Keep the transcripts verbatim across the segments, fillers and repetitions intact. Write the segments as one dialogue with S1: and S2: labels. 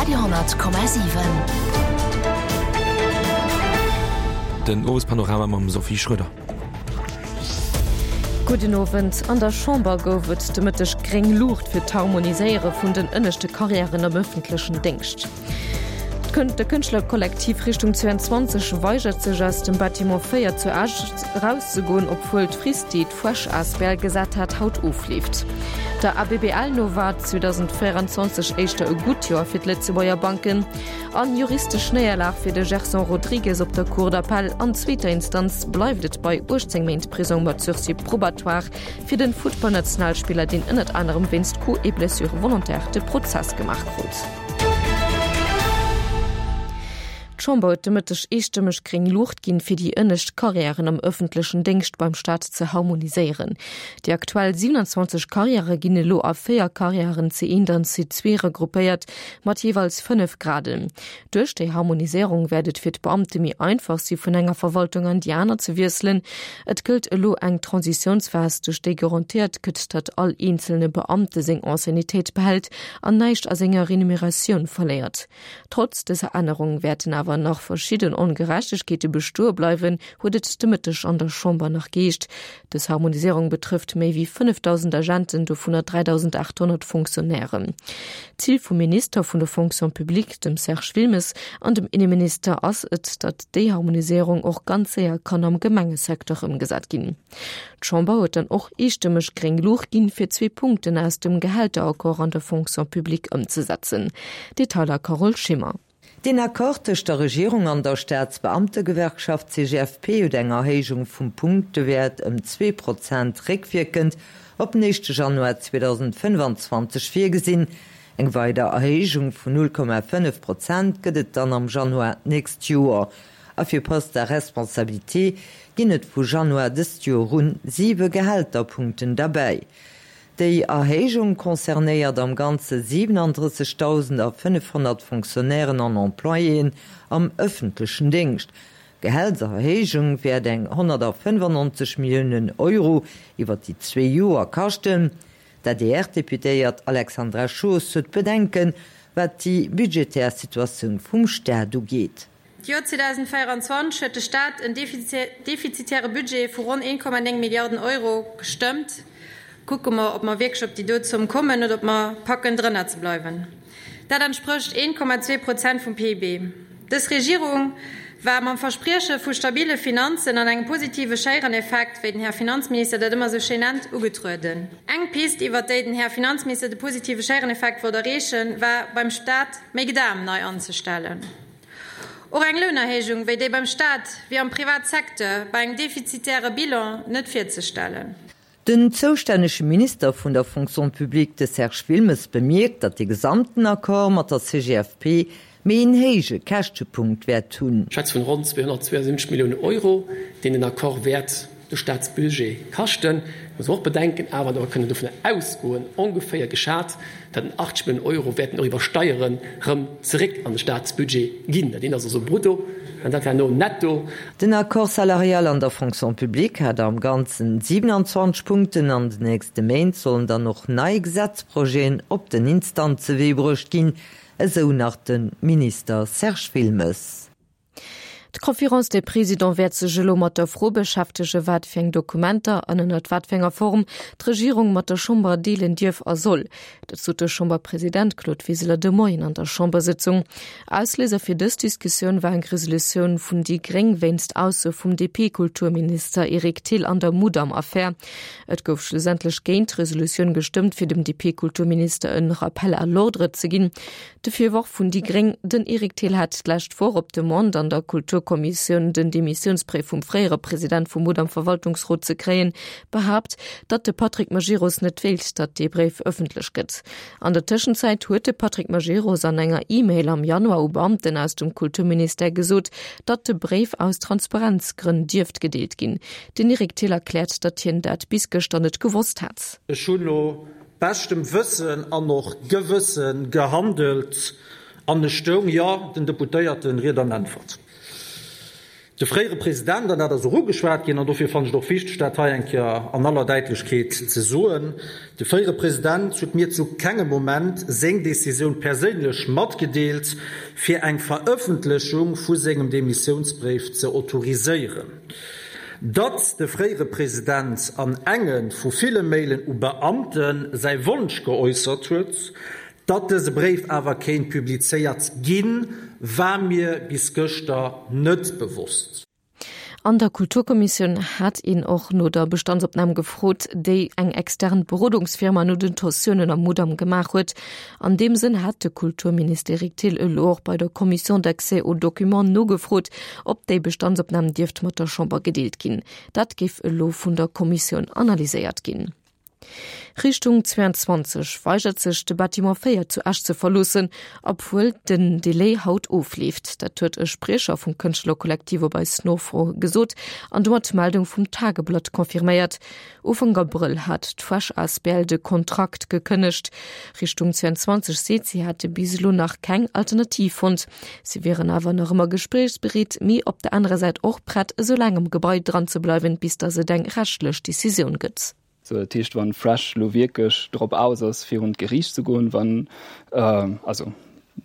S1: Radio honnert Komma siwen.
S2: Den Owespanorama mam Sophie Schröder.
S3: Gudden Owend. An der Chamber gouf et de Mëtteg gréng Luucht fir d'Harmoniséiere vun den ënneschte Karriären am ëffentlechen Déngscht. De Kënschtlerkollektiv Richtung zweiundzwanzeg weigert sech aus dem Bâtiment véier zu Esch erauszegoen, obwuel d'Frist, déi d'Fuesch asbl gesat hat, haut ofleeft. Der A B B L no war zweedausendvéierundzwanzeg éischter e gutt Joer fir d'Lëtzebuerger Banken. An juristesch Néierlag fir de Gerson Rodrigues op der Cour d'appel. An zweeter Instanz bleift et bei uechtzéng Méint Prisong mat Sursis probatoire fir den Futtballnationalspiller, deen ënnert anerem wéinst Coups et blessures volontaires de Prozess gemaach krut. D'Chamber huet de Mëtteg eestëmmeg gréng Luucht ginn, fir déi ënnescht Karriären am ëffentlechen Déngscht beim Staat ze harmoniséieren. Déi aktuell siewenundzwanzeg Karriäre ginn elo a véier Karriären C eent an C zwee regroupéiert, mat jeeweils fënnef Graden. Duerch déi Harmoniséierung wäert et fir d'Beamte méi einfach si vun enger Verwaltung an déi aner ze wiesselen. Et gëllt elo eng Transitiounsphas, duerch déi garantéiert gëtt, datt all eenzelne Beamte seng Anciennetéit behält an näischt a senger Remuneratioun verléiert. Trotz dëser Ännerung wäerten awer nach verschidden Ongerechtegkeete bestoe bleiwen, huet et de Mëtteg an der Chamber nach geheescht. Dës Harmoniséierung betrëfft méi wéi fënnefdausend Agenten, dovunner dräidausendachthonnert Fonctionnairen. Zil vum Minister vun der Fonction publique, dem Serge Wilmes, an dem Inneminister ass et, datt déi Harmoniséierung och ganz séier kann am Gemengesecteur ëmgesat ginn. D'Chamber huet dann och eestëmmeg gréng Luucht ginn, fir zwee Punkten aus dem Gehälteraccord an der Fonction publique ëmzesetzen. Detailer Carole Schimmer.
S4: Den Accord tëscht der Regierung an der Staatsbeamtegewerkschaft C G F P huet eng Erhéijung vum Punktewäert ëm zwee Prozent réckwierkend op den éischte Januar zweedausendfënnfanzwanzeg virgesinn. Eng weider Erhéijung vun null Komma fënnef Prozent gëtt et dann am Januar d'nächst Joer. A fir Postes à responsabilité ginn et vu Januar dëst Joer un siwe Gehälterpunkten derbäi. Déi Erhéijung concernéiert am Ganze siewenunddrëssegdausendfënnefhonnert Fonctionnairen an Employéen am ëffentlechen Déngscht. D'Gehälterhéijung wäert eng honnertfënnefannonzeg Milliounen Euro iwwer déi zwee Joer kaschten. D'A D R-Deputéiert Alexandra Schoos huet Bedenken, wat déi budgetär Situatioun vum Staat ugeet.
S5: D'Joer zweedausendvéierundzwanzeg huet de Staat en defizitäre Budget vu ronn een Komma néng Milliarden Euro gestëmmt. Kucke mer, ob mer wierklech op déi do Zomm kommen oder ob mer packen, drënner ze bleiwen. Dat entsprécht een Komma zwee Prozent vum P I B. Dës Regierung war mam Versprieche vu stabile Finanzen an engem positive Schéiereneffekt, wéi den Här Finanzminister dat ëmmer esou schéin nennt, ugetrueden. Eng Pist, iwwer déi den Här Finanzminister de positive Schéiereneffekt wollt erreechen, war beim Staat méi Gedam nei anzestellen. Och eng Lounerhéijung, wéi déi beim Staat wéi am Privatsecteur bei engem defizitäre Bilan net virzestellen.
S4: Den zoustännege Minister vun der Fonction publique, de Serge Wilmes, bemierkt, datt de gesamten Accord mat der C G F P méi en héije Käschtepunkt wäert hunn.
S6: Ech schwätze vun ronn zweehonnertzweiasiwwenzeg Milliounen Euro, deen den Accord wäert de Staatsbudget kaschten. Et muss een och bedenken awer, datt mer kënnen dovun ausgoen, ongeféier geschat, datt en achtzeg Milliounen Euro wäerten och iwwer Steieren erëm zeréck an de Staatsbudget ginn. Dat eent ass also brutto an dat herno netto.
S4: Den Accord salarial an der Fonction publique hat am Ganzen siewenundzwanzeg Punkten. An den nächste Méint sollen dann och nei Gesetzprojeten op den Instanzewee bruecht ginn, esou nach de Minister Serge Wilmes.
S3: D'Conférence des Présidents wäert sech elo mat der Fro beschäftegen, wat fir eng Dokumenter an ënnert wat fir enger Form d'Regierung mat der Chamber deelen dierf a soll. Dat sot de Chamberpresident Claude Wiseler de Moien an der Chambersëtzung. Ausléiser fir dës Diskussioun war eng Resolutioun vun déi Gréng wéinst Aussoe vum D P-Kulturminister Eric Thill an der Mudam-Affär. Et gouf schlussendlech géint d'Resolutioun gestëmmt, fir dem D P-Kulturminister en Rappel à l'ordre ze ginn. De Virworf vun déi Gréng, den Eric Thill hätt d'lescht Woch op Demande an der Kulturkommissioun den Demissiounsbréif vum fréiere President vum Mudam-Verwaltungsrot ze kréien, behaapt, datt de Patrick Majerus net wéilt, datt dee Bréif ëffentlech gëtt. An der Tëschenzäit huet de Patrick Majerus an enger E-Mail am Januar u Beamten aus dem Kulturministère gesot, datt de Bréif aus Transparenzgrënn dierft gedeelt ginn. Den Eric Thill erkläert, datt hien dat bis gëschter net gewosst hätt.
S7: Ech hunn no beschtem Wëssen an och Gewësse gehandelt an ech stoung, jo, den Deputéierte Ried an Äntwert. De fréiere President, an dat ass och ugeschwat ginn, an dofir fannen ech et och wichteg, dat hei eng Kéier an aller Däitlechkeet ze soen, de fréiere President huet mir zu kengem Moment seng Decisioun perséinlech matgedeelt, fir eng Verëffentlechung vu sengem Demissiounsbréif ze autoriséieren. Datt de fréiere President an enge vu ville Mailen u Beamte säi Wonsch geäussert huet, Datt dëse Bréif awer kéint publizéiert ginn, war mir bis gëschter net bewosst.
S3: An der Kulturkommissioun hat een och no der Bestandsopnam gefrot, déi eng extern Berodungsfirma no den Tensiounen am Mudam gemaach huet. An deem Sënn hat de Kulturminister Eric Thill elo och bei der Commission d'accès aux documents nogefrot, ob déi Bestandsopnam dierft mat der Chamber gedeelt ginn. Dat géif elo vun der Kommissioun analyséiert ginn. Richtung zweiundzwanzeg weigert sech de Bâtiment véier zu Esch ze verloossen, obwuel den Delai haut ofleeft. Dat huet e Spriecher vum Kënschtlerkollektiv op eis Nofro gesot an domat d'Meldung vum Tageblatt confirméiert. Ufank Abrëll hat d'Fresh asbl de Kontrakt gekënnegt. Richtung zweiundzwanzeg seet, si hätte bis elo nach keng Alternativ fonnt. Si wieren awer nach ëmmer gespréichsbereet, mee op der anerer Säit och prett, esou laang um Gebai dran ze bleiwen, bis datt et eng rechtlech Decisioun gëtt.
S1: Sou, dat heescht, wann Fresh lo wierklech drop aus ass, virun d'Geriicht ze goen, wann, also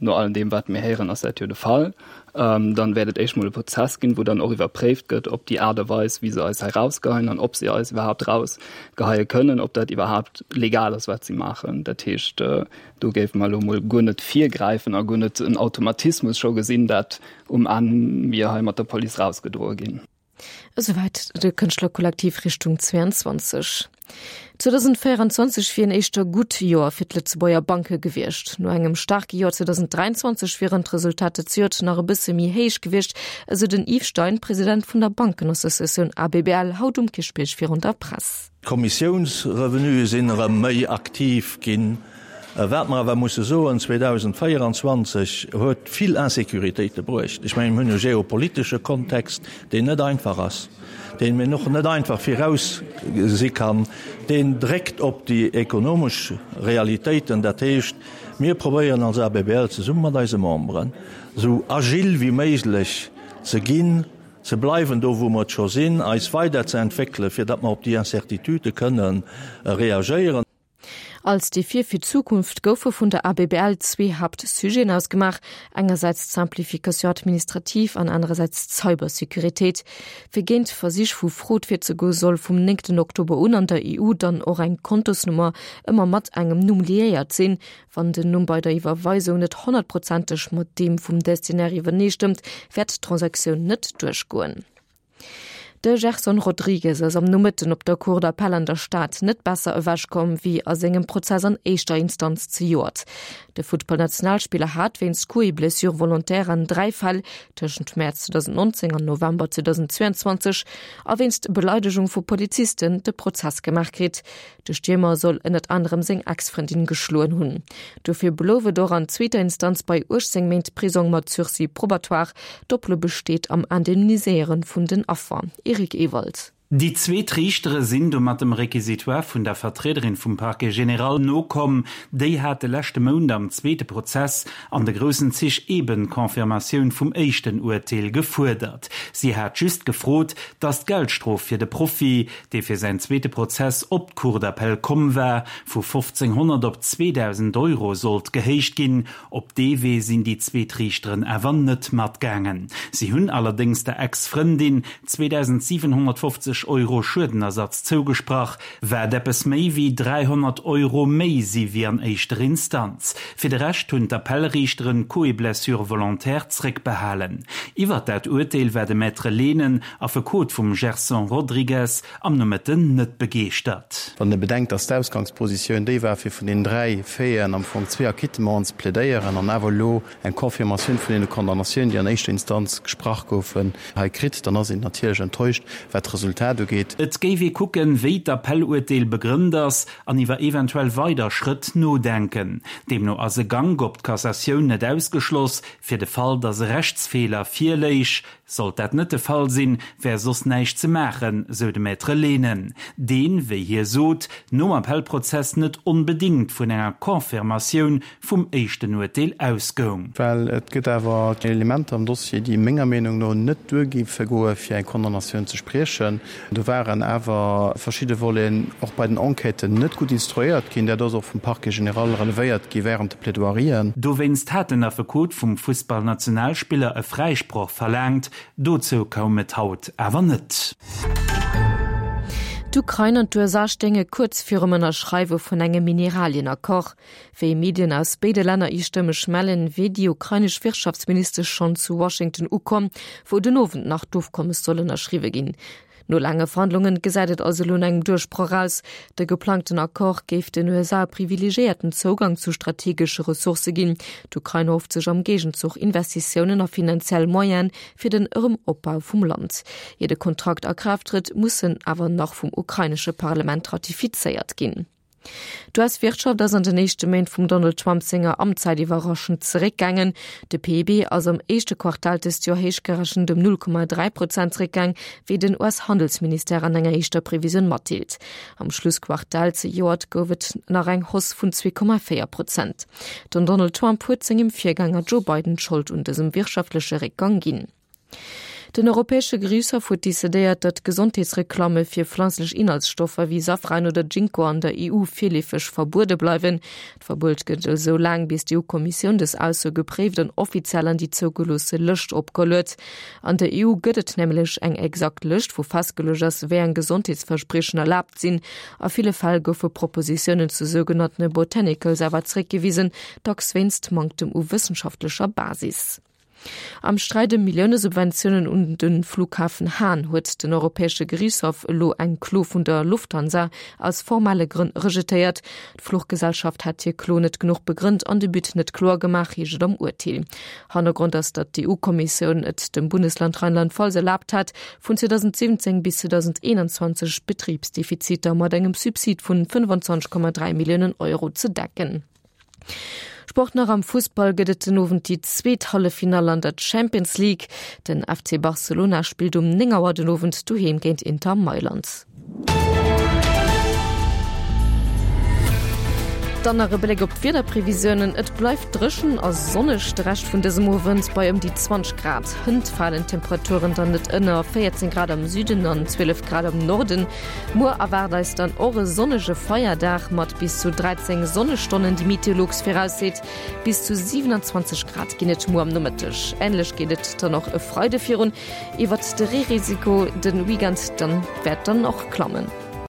S1: no allem deem, wat mir héieren, ass dat jo de Fall, dann wäert et éischt mol e Prozess ginn, wou dann och iwwerpréift gëtt, ob déi Aart a Weis, wéi se eis hei rausgeheien an ob se eis iwwerhaapt rausgeheie kënnen, ob dat iwwerhaapt legal ass, wat si maachen. Dat heescht, do géife mer elo mol guer net virgräifen a guer net en Automatismus scho gesinn, dat um Enn mir hei mat der Police rausgedroe ginn.
S3: Esouwäit de Kënschtlerkollektiv Richtung zweiundzwanzeg. zweedausendvéieranzwanzeg wier en éischter gutt Joer fir d'Lëtzebuerger Banke gewiescht. No engem staarke Joer zweedausendräianzwanzeg wieren d'Resultater zejoert nach e bësse méi héich gewiescht, esou den Yves Stein, President vun der Bankenassociatioun A B B L, haut um Kierchbierg virun der Press.
S8: D'Kommissiounsrevenuë sinn erëm méi aktiv ginn. Wat mer awer musse soen, zweedausendvéieranzwanzeg huet vill Insécuritéite bruecht. Ech mengen, mir hunn e geopolitesche Kontext, deen net einfach ass, deen een och net einfach virausgesi kann, deen dréckt op déi ekonomesch Realitéiten. Dat heescht, mir probéieren als A B B L zesumme mat eise Memberen, esou agil wéi méiglech ze ginn, ze bleiwen do, wou mer et scho sinn, eis weiderzeentwéckelen, fir datt mer op déi Incertitudë kënnen reagéieren.
S3: Als Defie fir d'Zukunft goufe vun der A B B L zwee Haaptsujeten ausgemaach, engersäits d'Simplification administrative an anerersäits d'Cybersécuritéit. Fir géint Versich vu Frod virzegoe soll vum néngten Oktober un an der E U dann och eng Kontosnummer ëmmer mat engem Numm liéiert sinn. Wann den Numm bei der Iwwerweisung net honnertprozenteg mat deem vum Destinaire iwwerneestëmmt, wäert d'Transaktioun net duerchgoen. De Gerson Rodrigues ass am Nomëtten op der Cour d'appel an der Stad net besser ewechkomm wéi a sengem Prozess an éischter Instanz zejoert. De Futtballnationalspiller hat wéinst Coups et blessures volontaires an dräi Fäll tëschent Mäerz zweedausendnonzéng an November zweedausendzweianzwanzeg a wéinst Beleidegung vu Polizisten de Prozess gemaach kritt. De Stiermer soll ënnert anerem seng Ex-Frëndin geschloen hunn. Dofir blouf et och an zweeter Instanz bei uechtzéng Méint Prisong mat Sursis probatoire. D'Oplo besteet am Indemniséiere vun den Affer. Eric Ewald.
S9: Déi zweet Riichtere sinn domat dem Réquisitoire vun der Vertriederin vum Parquet général nokomm. Déi hat de leschte Mount am zweete Prozess an de groussen Zich eben d'Confirmatioun vum éischten Urteel gefuerdert. Si hat just gefrot, datt d'Geldstrof fir de Profi, dee fir säin zweete Prozess op d'Cour d'appel komm war, vu fofzénghonnert op zweedausend Euro sollt gehéicht ginn. Op dee Wee sinn déi zweet Riichteren awer net matgaangen. Si hunn allerdéngs der Ex-Frëndin zweedausendsiwenhonnertfofzeg Euro Schuedenersatz zougesprach, wat eppes méi wéi dräihonnert Euro méi si wéi an éischter Instanz. Fir de Rescht hunn d'Appellriichteren d'Coups et blessures volontaires zréckbehalen. Iwwert dat Urteel war de Maître Lehnen, Affekot vum Gerson Rodrigues, am Nomëtten net begeeschtert.
S10: Wann ee bedenkt, dass d'Ausgangspositioun déi war, fir vun den dräi Faiten am Fong zwee Acquittementen ze plädéieren an awer elo eng Confirmatioun vun deene Condamnatiounen, déi an éischter Instanz gesprach goufen, hei kritt, dann ass een natierlech enttäuscht, wat d'Resultat Resultat ugeet.
S9: Et géif ee kucken, wéi d'Appelluerteel begrënnt ass an iwwer eventuell weider Schrëtt nodenken. Deemno ass e Gank op d'Cassatioun net ausgeschloss, fir de Fall, datt e Rechtsfeeler virléich. Sollt dat net de Fall sinn, wär soss näischt ze maachen, sou de Maître Lehnen, deen, wéi hie sot, nom Appellprozess net onbedéngt vun enger Confirmatioun vum éischten Urteel ausgoung.
S10: Well et gëtt awer Elementer am Dossier, déi menger Meenung no net duer géife goe fir eng Condamnatioun ze spriechen. Do waren awer verschidde Voleten och bei den Enquêten net gutt instruéiert ginn. Dat ass och vum Parquet général relevéiert gi während de Plaidoierien.
S9: Dowéinst hat den Affekot vum Fussballnationalspiller e Fräisproch verlaangt. Dozou koum et haut awer net.
S3: D'Ukrain an d'USA stéinge kuerz virum Ënnerschreiwe vun engem Mineralien-Accord. Wéi Medien aus béide Länner eestëmmeg mellen, wier déi ukrainesch Wirtschaftsministesch schonn zu Washington ukomm, wou den Owend nach d'Ofkommes soll ënnerschriwwe ginn. No laange Verhandlungen gesäit et also elo no engem Duerchbroch aus. De geplangten Accord géif den USA e privilegiéierten Zougang zu strategesche Ressourcë ginn. D'Ukrain erhofft sech am Géigenzuch Investitiounen a finanziell Moyene fir den Erëm-Opbau vum Land. Ier de Kontrakt a Kraaft trëtt, muss en awer nach vum ukrainesche Parlament ratifizéiert ginn. D'US-Wirtschaft ass an den éischte Méint vum Donald Trump senger Amtszäit iwwerraschend zeréckgaangen. De PIB ass am éischte Quartal dëst Joer héich gerechent ëm null Komma dräi Prozent zeréckgaang, wéi den US-Handelsministère an enger éischter Previsioun matdeelt. Am Schlussquartal zejoert gouf et nach eng Hausse vun zwee Komma véier Prozent. Den Donald Trump huet sengem Virgänger Joe Biden d'Schold un dësem wirtschaftleche Réckgang ginn. Den Europäesche Geriichtshaff huet decidéiert, datt Gesondheetsreklamme fir pflanzlech Inhaltsstoffer wéi Safran oder Ginkgo an der E U virleefeg verbuede bleiwen. D'Verbuet gëllt esou laang, bis d'E U-Kommissioun dës Ausso gepréift an offiziell an déi zougeloosse Lëscht opgeholl huet. An der E U gëtt et nämlech eng exakt Lëscht, wou festgeluecht ass, wéi eng Gesondheetsverspriechen erlaabt sinn. A ville Fäll goufe Propositiounen zu sougenanntene Botanicals awer zeréckgewisen, dacks wéinst Manktem u wëssenschaftlecher Basis. Am Sträit ëm Millioune-Subventiounen un de Flughafen Hahn huet den Europäesche Geriichtshaff elo eng Klo vun der Lufthansa aus formelle Grënn rejetéiert. D'Fluchgesellschaft hätt hir Klo net genuch begrënnt an de But net kloer gemaach, heescht et am Urteel. Hannergrond ass, datt d'EU-Kommissioun et dem Bundesland Rheinland-Pfalz erlaabt hat, vun zweedausendsiwwenzéng bis zweedausendeenanzwanzeg Betribsdefiziter mat engem Subsid vun fënnfanzwanzeg Komma dräi Milliounen Euro ze decken. Sport nach Am Fussball gëtt et den Owend déi zweet Halleffinall an der Champions League. Den F C Barcelona spillt um néng Auer den Owend doheem géint Inter Mailand. Dann nach e Bléck op d'Wiederprevisiounen, Et bleift dréchen a sonneg de Rescht vun dësem Owend bei ëm déi zwanzeg Grad. Hënt falen d'Temperaturen dann net ënner véierzéng Grad am Süden an zwielef Grad am Norden. Muer erwaart eis dann och e sonnege Feierdag mat bis zu dräizéng Sonnestonnen, déi Meteolux virausseet. Bis zu siewenundzwanzeg Grad ginn et muer am Nomëtteg. Änlech geet et dann och e Freide virun. Iwwert de Reerisiko de Weekend dann wäert dann och klammen.